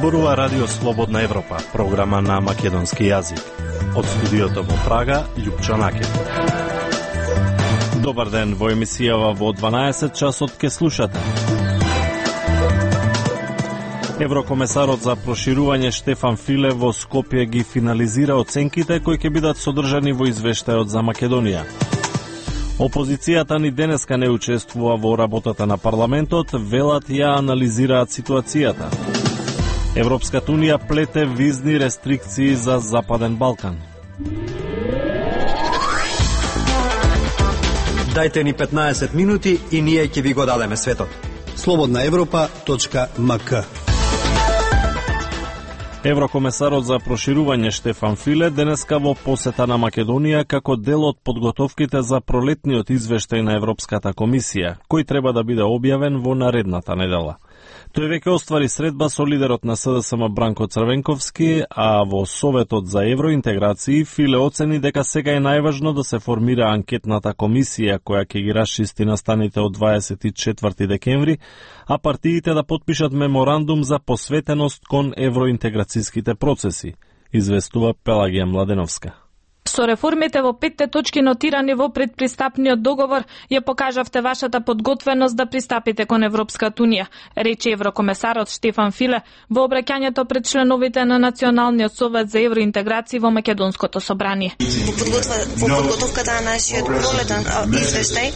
зборува Радио Слободна Европа, програма на македонски јазик. Од студиото во Прага, Љупчо Накев. Добар ден, во емисијава во 12 часот ке слушате. Еврокомесарот за проширување Штефан Филе во Скопје ги финализира оценките кои ќе бидат содржани во извештајот за Македонија. Опозицијата ни денеска не учествува во работата на парламентот, велат ја анализираат ситуацијата. Европската унија плете визни рестрикции за Западен Балкан. Дајте ни 15 минути и ние ќе ви го дадеме светот. slobodnaevropa.mk. Еврокомесарот за проширување Штефан Филе денеска во посета на Македонија како дел од подготовките за пролетниот извештај на Европската комисија, кој треба да биде објавен во наредната недела. Тој веќе оствари средба со лидерот на СДСМ Бранко Црвенковски, а во Советот за евроинтеграции Филе оцени дека сега е најважно да се формира анкетната комисија која ќе ги расчисти настаните од 24 декември, а партиите да потпишат меморандум за посветеност кон евроинтеграцијските процеси, известува Пелагија Младеновска. Со реформите во 5 точки нотирани во предпристапниот договор, ја покажавте вашата подготвеност да пристапите кон Европската унија, рече еврокомесарот Штефан Филе во обраќањето пред членовите на Националниот совет за евроинтеграција во Македонското собрание. Во подготовката на нашиот пролетен извештај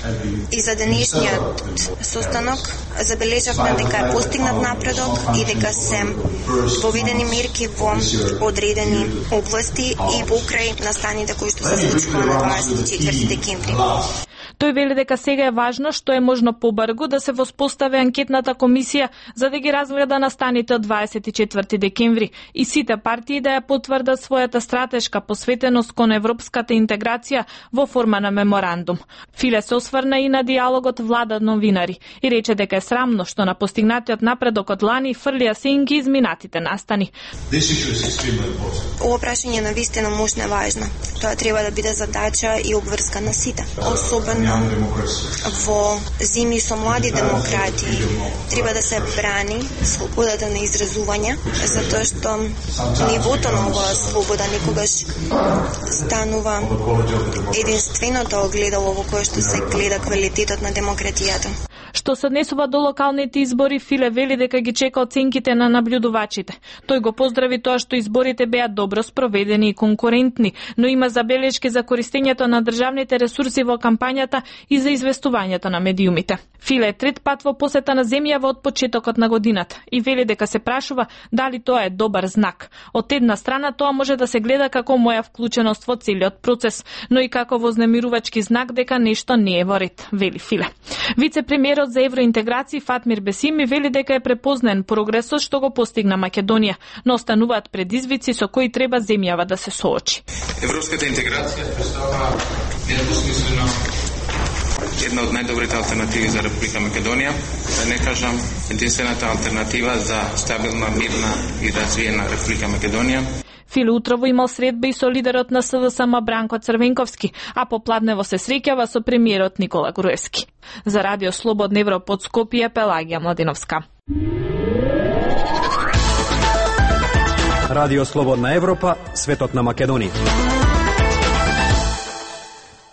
и за денешниот состанок забележавме дека е постигнат напредок и дека се поведени мерки во одредени области и покрај настаните кои што се случува на 24 декември. Тој вели дека сега е важно што е можно побрзо да се воспостави анкетната комисија за да ги разгледа настаните од 24 декември и сите партии да ја потврдат својата стратешка посветеност кон европската интеграција во форма на меморандум. Филе се осврна и на диалогот влада-новинари и рече дека е срамно што на постигнатиот напредок од лани фрлија сенки изминатите настани. Ова прашање на вистина мощно е важно. Тоа треба да биде задача и обврска на сите. Особено во зими со млади демократи треба да се брани слободата на изразување, затоа што нивото на оваа слобода никогаш станува единственото огледало во кое што се гледа квалитетот на демократијата. Што се однесува до локалните избори, Филе вели дека ги чека оценките на наблюдувачите. Тој го поздрави тоа што изборите беа добро спроведени и конкурентни, но има забелешки за користењето на државните ресурси во кампањата и за известувањето на медиумите. Филе е трет пат во посета на земјава од почетокот на годината и вели дека се прашува дали тоа е добар знак. Од една страна тоа може да се гледа како моја вклученост во целиот процес, но и како вознемирувачки знак дека нешто не е во ред, вели Филе. Вице-премиерот за евроинтеграција Фатмир Бесими вели дека е препознен прогресот што го постигна Македонија, но остануваат предизвици со кои треба земјава да се соочи. Европската интеграција представува недвосмислено една од најдобрите алтернативи за Република Македонија, да не кажам единствената алтернатива за стабилна, мирна и развиена Република Македонија. Филе утрово имал средба и со лидерот на СДСМ Бранко Црвенковски, а попладнево се среќава со премиерот Никола Груевски. За Радио Слободна Европа од Скопје, Пелагија Младеновска. Радио Слободна Европа, светот на Македонија.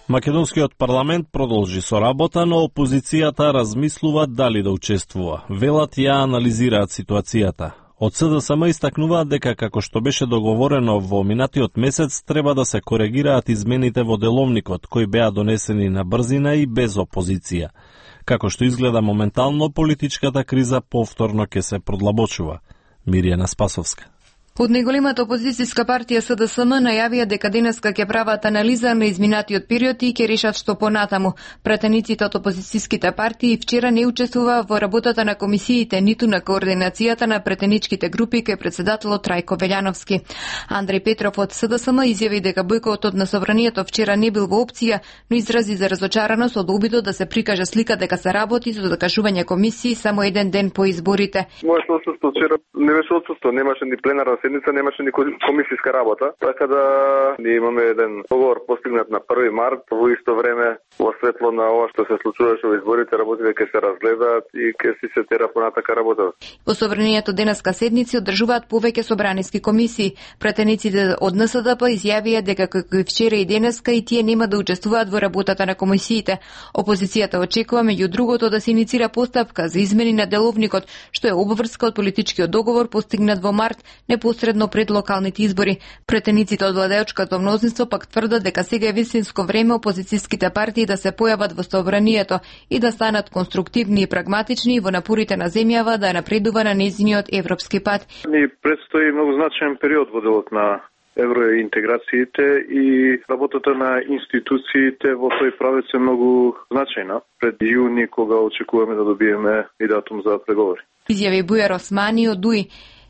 Македонскиот парламент продолжи со работа, но опозицијата размислува дали да учествува. Велат ја анализираат ситуацијата. Од СДСМ истакнуваат дека како што беше договорено во минатиот месец треба да се коригираат измените во деловникот кои беа донесени на брзина и без опозиција. Како што изгледа моментално, политичката криза повторно ќе се продлабочува. Миријана Спасовска. Од најголемата опозицијска партија СДСМ најавија дека денеска ќе прават анализа на изминатиот период и ќе решат што понатаму. Пратениците од опозицијските партии вчера не учествува во работата на комисиите, ниту на координацијата на пратеничките групи кај председателот Трајко Велјановски. Андреј Петров од СДСМ изјави дека бојкотот на собранието вчера не бил во опција, но изрази за разочараност од обидот да се прикаже слика дека се работи со закажување комисии само еден ден по изборите. Моето отсуство вчера не беше отсуство, немаше ни пленарна седница немаше никој комисиска работа, така да ние имаме еден договор постигнат на 1 март, во исто време во светло на ова што се случуваше во изборите, работите ќе се разгледаат и ќе се тера понатака работа. Во собранието денеска седници одржуваат повеќе собраниски комисии. Пратениците од НСДП изјавија дека како и вчера и денеска и тие нема да учествуваат во работата на комисиите. Опозицијата очекува меѓу другото да се иницира постапка за измени на деловникот, што е обврска од политичкиот договор постигнат во март непосредно пред локалните избори. Пратениците од владеечкото мнозинство пак тврдат дека сега е вистинско време опозицијските партии да се појават во собранието и да станат конструктивни и прагматични во напорите на земјава да напредува на нејзиниот европски пат. Ни предстои многу значаен период во делот на евроинтеграциите и работата на институциите во тој правец е многу значајна. Пред јуни, кога очекуваме да добиеме и датум за преговори. Изјави Бујар Османи од ДУИ.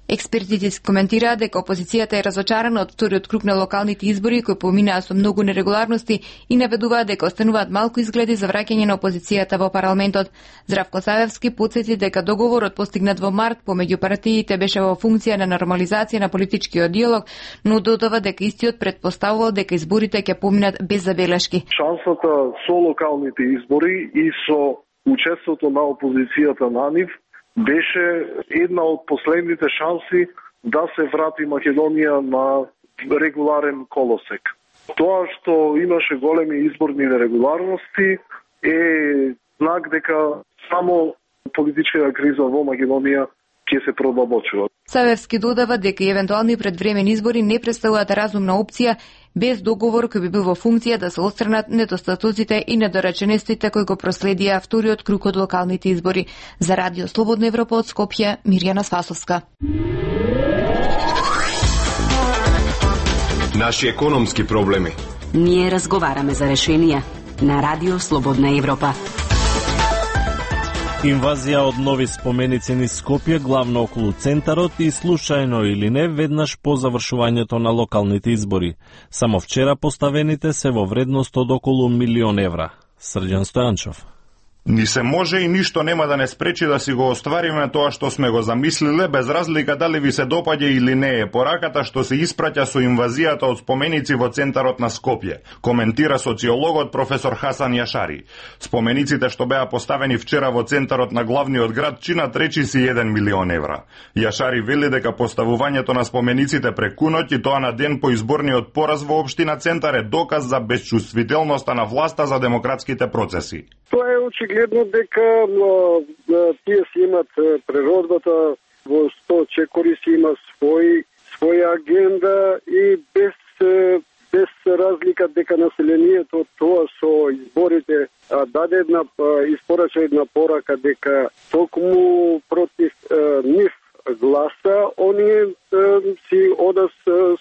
Експертите коментираа дека опозицијата е разочарана од вториот круг на локалните избори кои поминаа со многу нерегуларности и наведуваат дека остануваат малку изгледи за враќање на опозицијата во парламентот. Здравко Савевски потсети дека договорот постигнат во март помеѓу партиите беше во функција на нормализација на политичкиот диалог, но додава дека истиот предпоставувал дека изборите ќе поминат без забелешки. Шансата со локалните избори и со учеството на опозицијата на нив беше една од последните шанси да се врати Македонија на регуларен колосек. Тоа што имаше големи изборни нерегуларности е знак дека само политичката криза во Македонија ќе се продлабочува. Савевски додава дека и евентуални предвремени избори не представуваат разумна опција без договор кој би бил во функција да се отстранат недостатоците и недореченостите кои го проследија вториот круг од локалните избори. За Радио Слободна Европа од Скопје, Мирјана Спасовска. Наши економски проблеми. Ние разговараме за решенија на Радио Слободна Европа. Инвазија од нови споменици низ Скопје, главно околу центарот и случајно или не, веднаш по завршувањето на локалните избори. Само вчера поставените се во вредност од околу 1 милион евра. Срđan Стојанчов. Ни се може и ништо нема да не спречи да си го оствариме тоа што сме го замислиле, без разлика дали ви се допаѓа или не е пораката што се испраќа со инвазијата од споменици во центарот на Скопје, коментира социологот професор Хасан Јашари. Спомениците што беа поставени вчера во центарот на главниот град чинат речиси 1 милион евра. Јашари вели дека поставувањето на спомениците преку ноќ и тоа на ден по изборниот пораз во општина Центар е доказ за безчувствителноста на власта за демократските процеси. Тоа е очигледно дека тие си имат природата во 100 чекори си има своја агенда и без разлика дека населението тоа со изборите даде една испорача една порака дека токму против нив гласа, оние си одат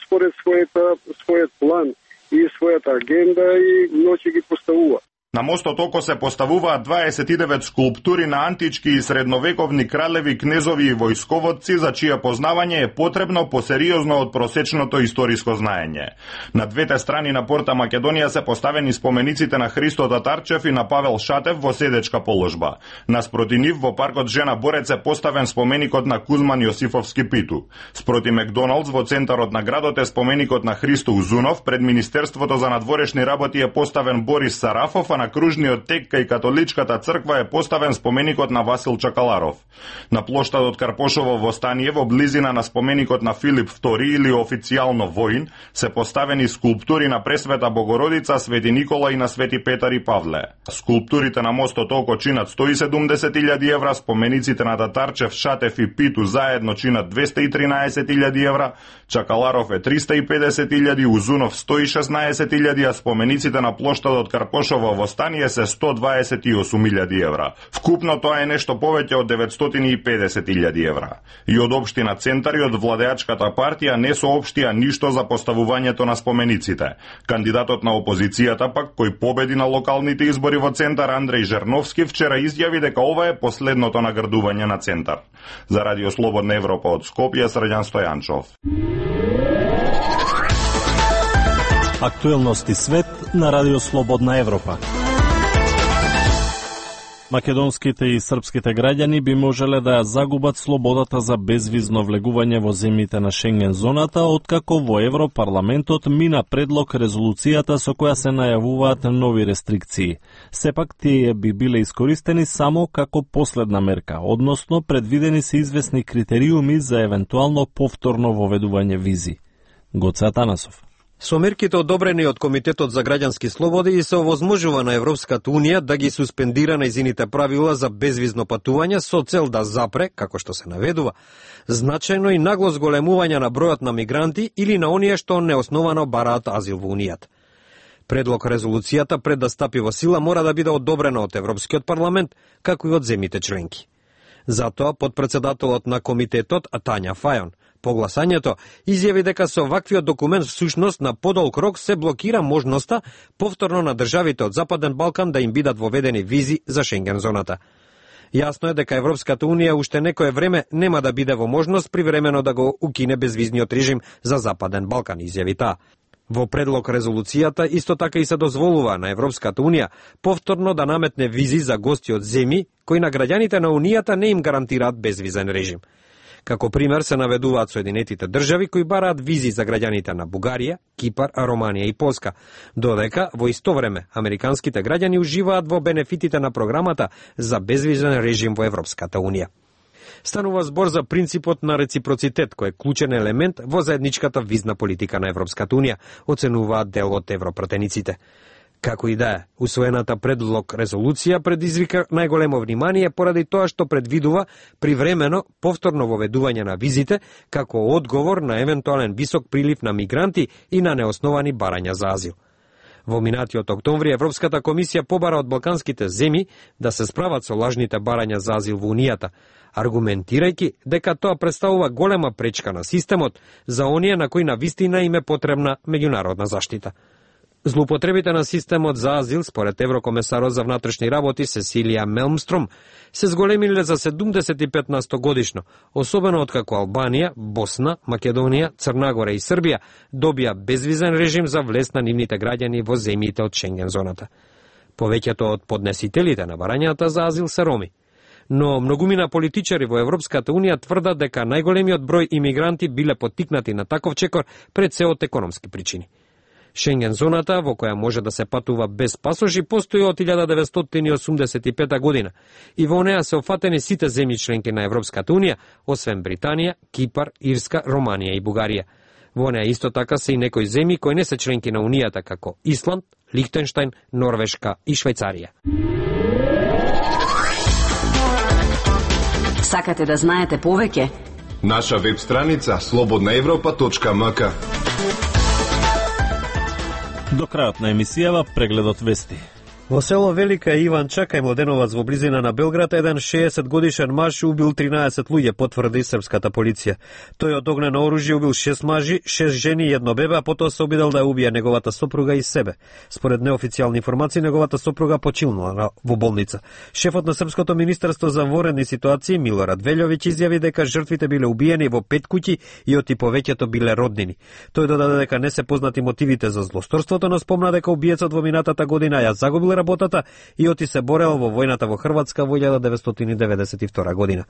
според својот план и својата агенда и ноќе ги поставува. На мостот Око се поставуваат 29 скулптури на антички и средновековни кралеви, кнезови и војсководци, за чие познавање е потребно посериозно од просечното историско знаење. На двете страни на порта Македонија се поставени спомениците на Христо Татарчев и на Павел Шатев во седечка положба. Наспроти нив во паркот Жена Борец е поставен споменикот на Кузман Јосифовски Питу. Спроти Макдоналдс во центарот на градот е споменикот на Христо Узунов, пред Министерството за надворешни работи е поставен Борис Сарафов, а на кружниот тек кај католичката црква е поставен споменикот на Васил Чакаларов. На плоштадот Карпошово во Станије, во близина на споменикот на Филип II или официјално воин, се поставени скулптури на Пресвета Богородица, Свети Никола и на Свети Петар и Павле. Скулптурите на мостот Око чинат 170.000 евра, спомениците на Татарчев, Шатев и Питу заедно чинат 213.000 евра, Чакаларов е 350.000, Узунов 116.000, а спомениците на плоштадот Карпошово во Станије се 128.000 евра. Вкупно тоа е нешто повеќе од 950.000 евра. И од општина Центар и од владеачката партија не соопштија ништо за поставувањето на спомениците. Кандидатот на опозицијата пак, кој победи на локалните избори во Центар, Андреј Жерновски, вчера изјави дека ова е последното наградување на Центар. За Радио Слободна Европа од Скопје, Срđan Стојанчов. Актуелности свет на Радио Слободна Европа. Македонските и српските граѓани би можеле да ја загубат слободата за безвизно влегување во земјите на Шенген зоната, откако во Европарламентот мина предлог резолуцијата со која се најавуваат нови рестрикции. Сепак тие би биле искористени само како последна мерка, односно предвидени се известни критериуми за евентуално повторно воведување визи. Гоце Атанасов. Со мерките одобрени од Комитетот за граѓански слободи и се овозможува на Европската Унија да ги суспендира нејзините правила за безвизно патување со цел да запре, како што се наведува, значајно и нагло зголемување на бројот на мигранти или на оние што неосновано бараат азил во Унијата. Предлог резолуцијата пред да стапи во сила мора да биде одобрена од Европскиот парламент, како и од земјите членки. Затоа подпредседателот на комитетот Тања Фајон по гласањето изјави дека со ваквиот документ всушност на подолг рок се блокира можноста повторно на државите од Западен Балкан да им бидат воведени визи за Шенген зоната. Јасно е дека Европската Унија уште некое време нема да биде во можност привремено да го укине безвизниот режим за Западен Балкан, изјави таа. Во предлог резолуцијата исто така и се дозволува на Европската Унија повторно да наметне визи за гости од земји кои на граѓаните на Унијата не им гарантираат безвизен режим. Како пример се наведуваат Соединетите држави кои бараат визи за граѓаните на Бугарија, Кипар, Романија и Полска, додека во исто време американските граѓани уживаат во бенефитите на програмата за безвизен режим во Европската Унија. Станува збор за принципот на реципроцитет, кој е клучен елемент во заедничката визна политика на Европската Унија, оценуваат дел од европратениците. Како и да е, усвоената предлог резолуција предизвика најголемо внимание поради тоа што предвидува привремено повторно воведување на визите како одговор на евентуален висок прилив на мигранти и на неосновани барања за азил. Во минатиот октомври Европската комисија побара од балканските земји да се справат со лажните барања за азил во Унијата, аргументирајќи дека тоа представува голема пречка на системот за оние на кои навистина им е потребна меѓународна заштита. Злоупотребите на системот за азил, според еврокомесарот за внатрешни работи Сесилија Мелмстром, се зголемиле за 75% годишно, особено откако Албанија, Босна, Македонија, Црна Гора и Србија добија безвизен режим за влез на нивните граѓани во земјите од Шенген зоната. Повеќето од поднесителите на барањата за азил се роми. Но многумина политичари во Европската Унија тврдат дека најголемиот број имигранти биле поттикнати на таков чекор пред се од економски причини. Шенген зоната, во која може да се патува без пасоши, постои од 1985 година и во неа се офатени сите земји членки на Европската Унија, освен Британија, Кипар, Ирска, Романија и Бугарија. Во неа исто така се и некои земји кои не се членки на Унијата, како Исланд, Лихтенштајн, Норвешка и Швајцарија. Сакате да знаете повеќе? Наша веб страница slobodnaevropa.mk. До крајот на емисијава прегледот вести. Во село Велика Иванча, кај Младеновац во близина на Белград, еден 60-годишен маж убил 13 луѓе, потврди српската полиција. Тој од огнено оружје убил 6 мажи, 6 жени и едно бебе, а потоа се обидел да убие неговата сопруга и себе. Според неофицијални информации, неговата сопруга починала во болница. Шефот на Српското министерство за военни ситуации Милорад Велјовиќ изјави дека жртвите биле убиени во 5 куќи и оти повеќето биле роднини. Тој додаде дека не се познати мотивите за злосторството, но спомна дека убиецот во минатата година ја загубил работата и оти се борел во војната во Хрватска во 1992 година.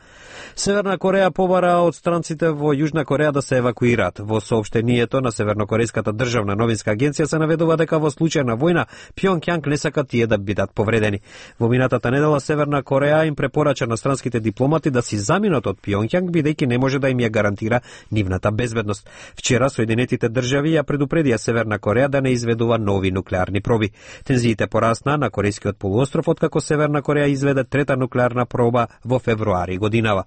Северна Кореја побара од странците во Јужна Кореја да се евакуираат. Во соопштението на Севернокорејската државна новинска агенција се наведува дека во случај на војна Пјонкјанг не сака тие да бидат повредени. Во минатата недела Северна Кореја им препорача на странските дипломати да си заминат од Пјонкјанг бидејќи не може да им ја гарантира нивната безбедност. Вчера Соединетите држави ја предупредија Северна Кореја да не изведува нови нуклеарни проби. Тензиите порасна на Корејскиот полуостров откако Северна Кореја изведе трета нуклеарна проба во февруари годинава.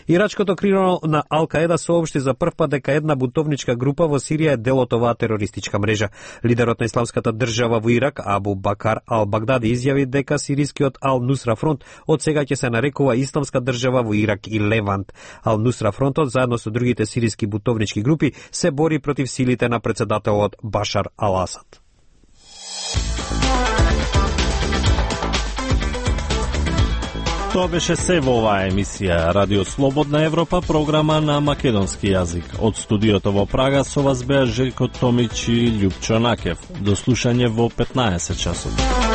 Ирачкото крило на Ал-Каеда соопшти за прв пат дека една бунтовничка група во Сирија е дел од оваа терористичка мрежа. Лидерот на исламската држава во Ирак, Абу Бакар Ал-Багдади, изјави дека сирискиот Ал-Нусра фронт од сега ќе се нарекува Исламска држава во Ирак и Левант. Ал-Нусра фронтот заедно со другите сириски бунтовнички групи се бори против силите на претседателот Башар Ал-Асад. Тоа беше се во оваа емисија Радио Слободна Европа, програма на македонски јазик. Од студиото во Прага со вас беа Желко Томич и Љупчо Накев. До слушање во 15 часот.